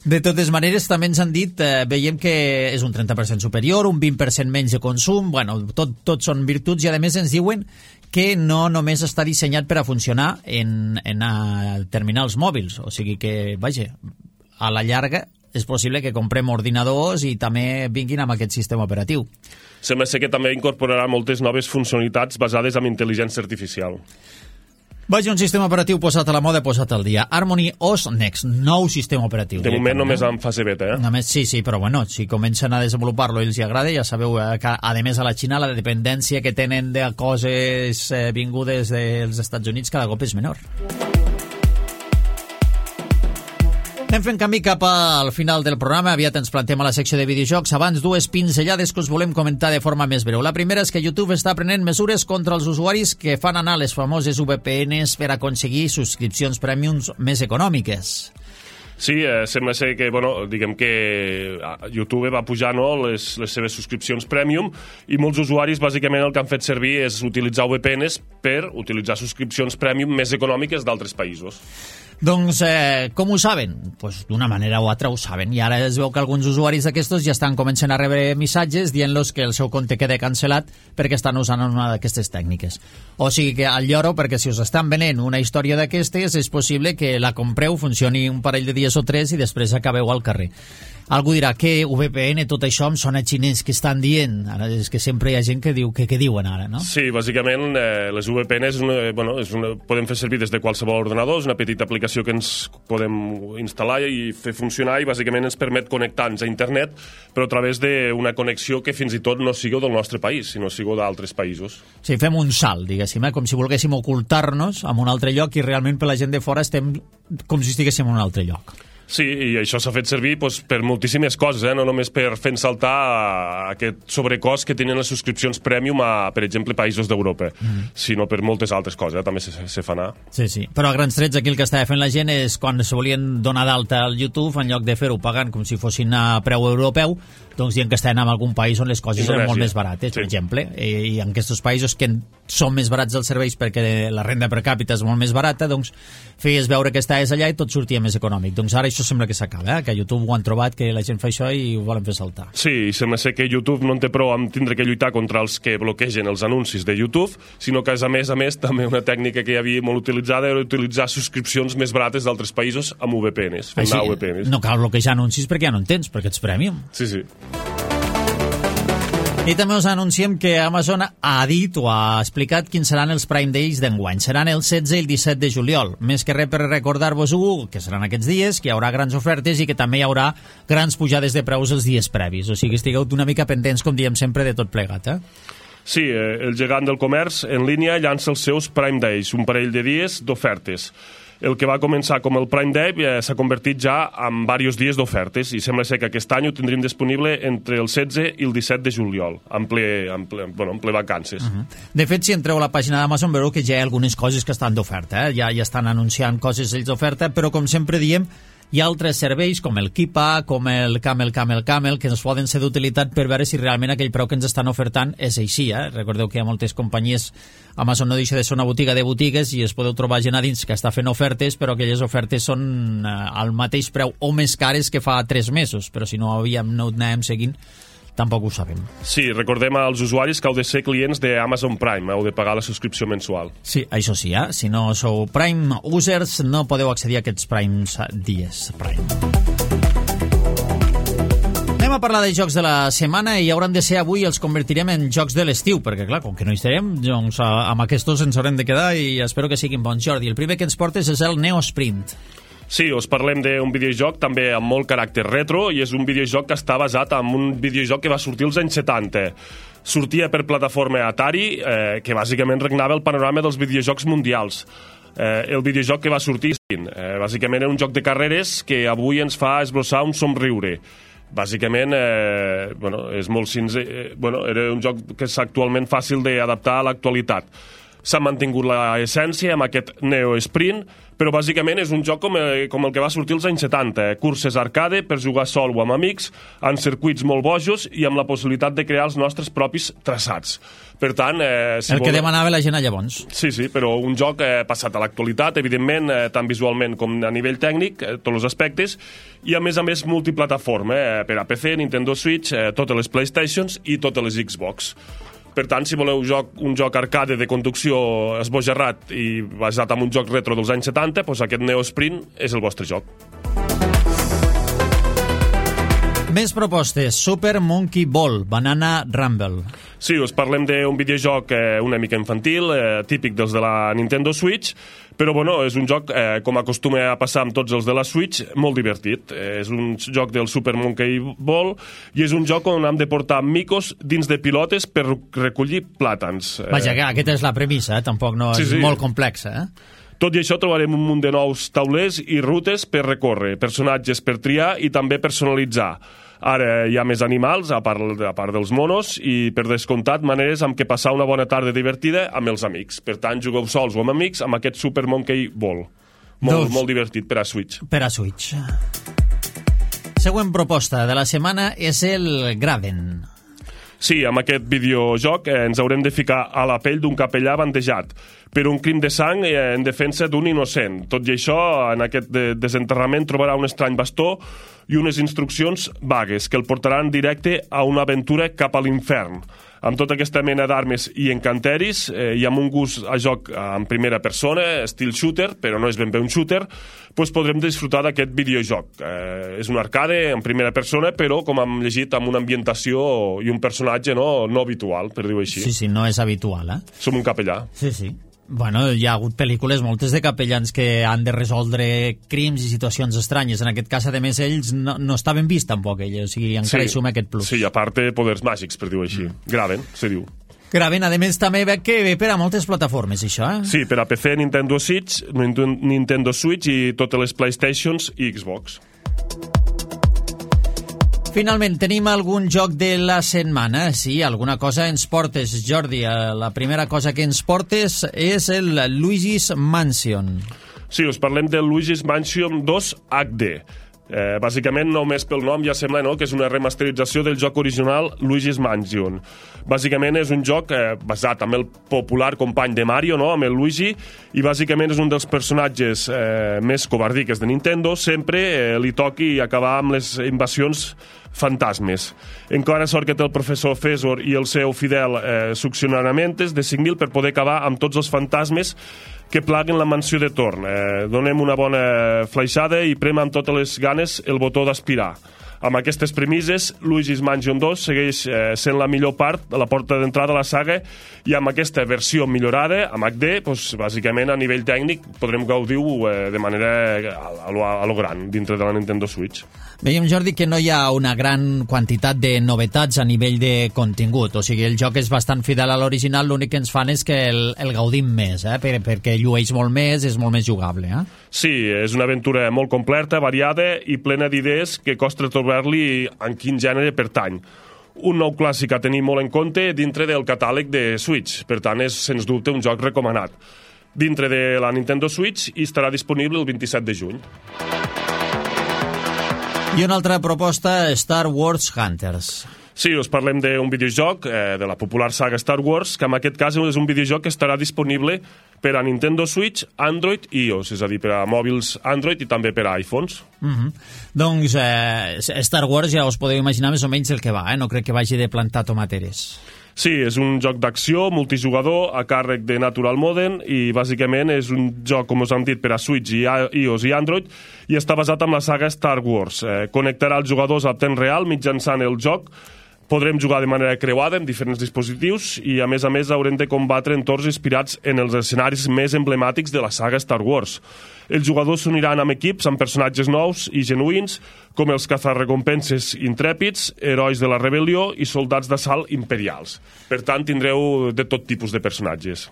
De totes maneres, també ens han dit, eh, veiem que és un trenta per cent superior, un vint per cent menys de consum, bueno, tot, tot són virtuts, i a més ens diuen que no només està dissenyat per a funcionar en, en a terminals mòbils, o sigui que, vaja, a la llarga és possible que comprem ordinadors i també vinguin amb aquest sistema operatiu. Sembla ser que també incorporarà moltes noves funcionalitats basades en intel·ligència artificial. Vaja, un sistema operatiu posat a la moda, posat al dia. Harmony O S Next, nou sistema operatiu. De moment només en fase beta, eh? Només, sí, sí, però bueno, si comencen a desenvolupar-lo i els agrada, ja sabeu que, a més, a la Xina la dependència que tenen de coses eh, vingudes dels Estats Units cada cop és menor. Anem fent camí cap al final del programa. Aviat ens plantem a la secció de videojocs. Abans, dues pinzellades que us volem comentar de forma més breu. La primera és que YouTube està prenent mesures contra els usuaris que fan anar les famoses V P Ns per aconseguir subscripcions premiums més econòmiques. Sí, eh, sembla ser que, bueno, diguem que YouTube va pujar, no, les, les seves subscripcions premium, i molts usuaris bàsicament el que han fet servir és utilitzar V P Ns per utilitzar subscripcions premium més econòmiques d'altres països. Doncs, eh, com ho saben? Pues d'una manera o altra ho saben, i ara es veu que alguns usuaris d'aquestos ja estan començant a rebre missatges dient-los que el seu compte queda cancel·lat perquè estan usant una d'aquestes tècniques. O sigui que al lloro, perquè si us estan venent una història d'aquestes, és possible que la compreu, funcioni un parell de dies o tres i després acabeu al carrer. Algú dirà que V P N, tot això em sona xinès, que estan dient? Ara és que sempre hi ha gent que diu que, que diuen ara, no? Sí, bàsicament eh, les V P N és una, bueno, és una, podem fer servir des de qualsevol ordinador, és una petita aplicació que ens podem instal·lar i fer funcionar, i bàsicament ens permet connectar-nos a internet, però a través d'una connexió que fins i tot no sigui del nostre país, sinó sigui d'altres països. Sí, fem un salt, diguéssim, eh? Com si volguéssim ocultar-nos en un altre lloc i realment per la gent de fora estem com si estiguéssim en un altre lloc. Sí, i això s'ha fet servir doncs, per moltíssimes coses, eh? No només per fer saltar aquest sobrecost que tenen les subscripcions premium a, per exemple, països d'Europa, mm. sinó per moltes altres coses, eh? També se, se fa anar. Sí, sí, però a grans trets aquí el que estava fent la gent és quan se volien donar d'alta al YouTube, en lloc de fer-ho pagant com si fossin a preu europeu, doncs dient que estaven en algun país on les coses Indonèsia. Eren molt més barates, sí. Per exemple, i, i en aquests països que són més barats els serveis perquè la renda per càpita és molt més barata, doncs feies veure que estaves allà i tot sortia més econòmic. Doncs ara això sembla que s'acaba, eh? Que a YouTube ho han trobat, que la gent fa això i ho volen fer saltar. Sí, i sembla ser que YouTube no en té prou amb tindre que lluitar contra els que bloquegen els anuncis de YouTube, sinó que, a més a més, també una tècnica que hi havia molt utilitzada era utilitzar subscripcions més barates d'altres països amb V P Ns. Així, V P Ns. No cal bloquejar anuncis perquè ja no en tens, perquè ets premium. Sí, sí. I també us anunciem que Amazon ha dit o ha explicat quins seran els Prime Days d'enguany. Seran el setze i el disset de juliol. Més que res per recordar-vos-ho, que seran aquests dies, que hi haurà grans ofertes i que també hi haurà grans pujades de preus els dies previs. O sigui, estigueu una mica pendents, com diem sempre, de tot plegat, eh? Sí, el gegant del comerç en línia llança els seus Prime Days, un parell de dies d'ofertes. El que va començar com el Prime Day eh, s'ha convertit ja en diversos dies d'ofertes i sembla ser que aquest any ho tindríem disponible entre el setze i el disset de juliol, en ple, en ple, bueno, en ple vacances. Uh-huh. De fet, si entreu a la pàgina d'Amazon veureu que ja hi ha algunes coses que estan d'oferta, eh? ja, ja estan anunciant coses ells d'oferta, però com sempre diem, hi ha altres serveis com el Kipa, com el Camel Camel Camel, que ens poden ser d'utilitat per veure si realment aquell preu que ens estan ofertant és així. Eh? Recordeu que hi ha moltes companyies, Amazon no deixa de ser una botiga de botigues i es podeu trobar gent a dins que està fent ofertes, però aquelles ofertes són eh, al mateix preu o més cares que fa tres mesos, però si no havíem, no ho anàvem seguint, tampoc ho sabem. Sí, recordem als usuaris que heu de ser clients d'Amazon Prime, heu de pagar la subscripció mensual. Sí, això sí, eh? Si no sou Prime users, no podeu accedir a aquests Primes dies. Prime. Anem a parlar de jocs de la setmana i hauran de ser avui, els convertirem en jocs de l'estiu, perquè clar, com que no hi estarem, doncs amb aquests ens haurem de quedar i espero que siguin bons. Jordi, el primer que ens portes és el Neo Sprint. Sí, us parlem d'un videojoc també amb molt caràcter retro i és un videojoc que està basat en un videojoc que va sortir als anys setanta. Sortia per plataforma Atari, eh, que bàsicament regnava el panorama dels videojocs mundials. Eh, el videojoc que va sortir, eh, bàsicament era un joc de carreres que avui ens fa esbossar un somriure. Bàsicament, eh, bueno, és molt sincer, eh, bueno, era un joc que és actualment fàcil d'adaptar a l'actualitat. S'ha mantingut l'essència amb aquest Neo Sprint, però bàsicament és un joc com el, com el que va sortir als anys setanta, eh? Curses arcade per jugar sol o amb amics, en circuits molt bojos i amb la possibilitat de crear els nostres propis traçats. Per tant... Eh, si el vol... que demanava la gent a llavors. Sí, sí, però un joc eh, passat a l'actualitat, evidentment, eh, tant visualment com a nivell tècnic, eh, tots els aspectes, i a més a més multiplataforma, eh, per a P C, Nintendo Switch, eh, totes les PlayStations i totes les Xbox. Per tant, si voleu joc, un joc arcade de conducció esbojarrat i basat en un joc retro dels anys setanta, doncs aquest Neo Sprint és el vostre joc. Més propostes. Super Monkey Ball, Banana Rumble. Sí, us parlem d'un videojoc eh, una mica infantil, eh, típic dels de la Nintendo Switch, però bueno, és un joc, eh, com acostuma a passar amb tots els de la Switch, molt divertit. Eh, és un joc del Super Monkey Ball i és un joc on hem de portar micos dins de pilotes per recollir plàtans. Eh, Vaja, que aquesta és la premissa, eh? Tampoc no és sí, sí. molt complexa, eh? Tot i això trobarem un munt de nous taulers i rutes per recórrer, personatges per triar i també personalitzar. Ara hi ha més animals, a part, a part dels monos, i per descomptat maneres amb què passar una bona tarda divertida amb els amics. Per tant, jugueu sols o amb amics amb aquest Super Monkey Ball. Molt, molt divertit per a Switch. Per a Switch. Següent proposta de la setmana és el Graven. Sí, amb aquest videojoc eh, ens haurem de ficar a la pell d'un capellà bandejat per un crim de sang eh, en defensa d'un innocent. Tot i això, en aquest de desenterrament trobarà un estrany bastó i unes instruccions vagues que el portaran directe a una aventura cap a l'infern. Amb tota aquesta mena d'armes i encanteris eh, i amb un gust a joc en primera persona, estil shooter, però no és ben bé un shooter, doncs podrem disfrutar d'aquest videojoc. Eh, és un arcade en primera persona, però, com hem llegit, amb una ambientació i un personatge no, no habitual, per dir-ho així. Sí, sí, no és habitual, eh? Som un capellà. Sí, sí. Bueno, hi ha hagut pel·lícules moltes de capellans que han de resoldre crims i situacions estranyes. En aquest cas, a més, ells no, no estaven vist tampoc, ells. O sigui, encara sí, hi suma aquest plus. Sí, a part té poders màgics, per dir-ho així. Mm. Graven, se diu. Graven, a més, també veig que ve per a moltes plataformes, això, eh? Sí, per a P C, Nintendo Switch, Nintendo Switch i totes les PlayStations i Xbox. Finalment, tenim algun joc de la setmana. Sí, alguna cosa ens portes, Jordi. La primera cosa que ens portes és el Luigi's Mansion. Sí, us parlem del Luigi's Mansion dos H D. Eh, bàsicament, només pel nom ja sembla no, que és una remasterització del joc original Luigi's Mansion. Bàsicament és un joc eh, basat en el popular company de Mario, no, amb el Luigi, i bàsicament és un dels personatges eh, més covardiques de Nintendo. Sempre eh, li toqui acabar amb les invasions fantasmes. Encara sort que té el professor Fesor i el seu fidel eh, succionamentes de cinc mil per poder acabar amb tots els fantasmes que plaguen la mansió de torn. Eh, donem una bona flaixada i prem amb totes les ganes el botó d'aspirar. Amb aquestes premisses, Luigi's Mansion dos segueix eh, sent la millor part, la porta d'entrada a la saga, i amb aquesta versió millorada, amb H D, doncs, bàsicament a nivell tècnic podrem gaudir-ho eh, de manera a, a, lo, a lo gran, dintre de la Nintendo Switch. Veiem, Jordi, que no hi ha una gran quantitat de novetats a nivell de contingut, o sigui, el joc és bastant fidel a l'original, l'únic que ens fan és que el, el gaudim més, eh? Per, perquè llueix molt més, és molt més jugable. Eh? Sí, és una aventura molt completa, variada i plena d'idees que costa trobar-li en quin gènere pertany. Un nou clàssic a tenir molt en compte dintre del catàleg de Switch, per tant és sens dubte un joc recomanat. Dintre de la Nintendo Switch i estarà disponible el vint-i-set de juny. I una altra proposta, Star Wars Hunters. Sí, us parlem d'un videojoc eh, de la popular saga Star Wars, que en aquest cas és un videojoc que estarà disponible per a Nintendo Switch, Android i iOS, és a dir, per a mòbils Android i també per a iPhones. Mm-hmm. Doncs eh, Star Wars ja us podeu imaginar més o menys el que va, eh? No crec que vagi de plantar tomateres. Sí, és un joc d'acció multijugador a càrrec de Natural Modem i bàsicament és un joc, com us hem dit, per a Switch, i iOS i Android, i està basat en la saga Star Wars. Eh, connectarà els jugadors a temps real mitjançant el joc. Podrem jugar de manera creuada en diferents dispositius i, a més a més, haurem de combatre entorns inspirats en els escenaris més emblemàtics de la saga Star Wars. Els jugadors s'uniran amb equips amb personatges nous i genuïns, com els cazarrecompenses intrèpids, herois de la rebel·lió i soldats d'assalt imperials. Per tant, tindreu de tot tipus de personatges.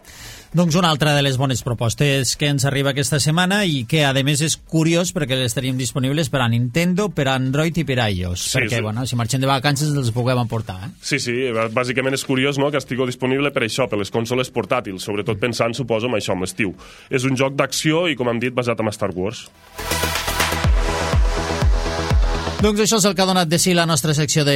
Doncs una altra de les bones propostes que ens arriba aquesta setmana i que, a més, és curiós perquè les tenim disponibles per a Nintendo, per a Android i per a iOS. Sí, perquè, sí. Bueno, si marxem de vacances els puguem emportar. Eh? Sí, sí, bàsicament és curiós, no?, que estigui disponible per això, per les consoles portàtils, sobretot pensant, suposo, en això, en l'estiu. És un joc d'acció i, com hem dit, basat en Star Wars. Doncs això és el que ha donat de si la nostra secció de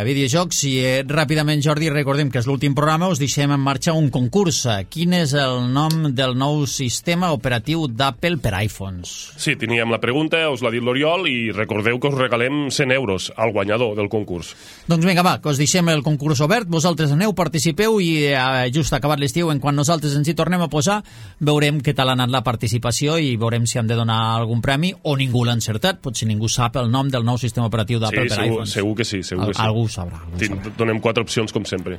videojocs i eh, ràpidament, Jordi, recordem que és l'últim programa, us deixem en marxa un concurs. Quin és el nom del nou sistema operatiu d'Apple per iPhones? Sí, teníem la pregunta, us l'ha dit l'Oriol i recordeu que us regalem cent euros al guanyador del concurs. Doncs vinga, va, que us deixem el concurs obert, vosaltres aneu, participeu i eh, just acabat l'estiu, en quan nosaltres ens hi tornem a posar, veurem què tal ha anat la participació i veurem si hem de donar algun premi o ningú l'ha encertat, potser ningú sap el nom del nou sistema operatiu d'Apple sí, per segur, iPhones. Segur que sí, segur que sí. Algú ho sabrà. Algú Tin, sabrà. Donem quatre opcions, com sempre.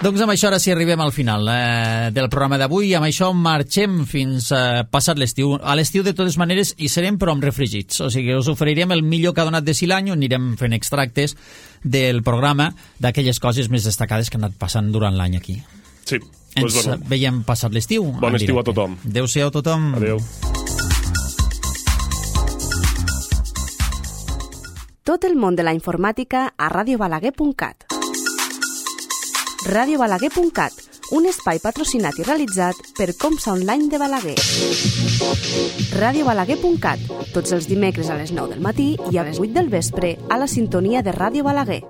Doncs amb això ara sí arribem al final eh, del programa d'avui i amb això marxem fins eh, passat l'estiu. A l'estiu, de totes maneres, hi serem però amb refregits. O sigui, us oferirem el millor que ha donat de si l'any, on anirem fent extractes del programa d'aquelles coses més destacades que han anat passant durant l'any aquí. Sí. Ens doncs, bueno. veiem passat l'estiu. Bon estiu a tothom. Adéu-siau a tothom. Adéu. Tot el món de la informàtica a radio balaguer punt cat. radio balaguer punt cat, un espai patrocinat i realitzat per Comsa Online de Balaguer. radio balaguer punt cat, tots els dimecres a les nou del matí i a les vuit del vespre a la sintonia de Ràdio Balaguer.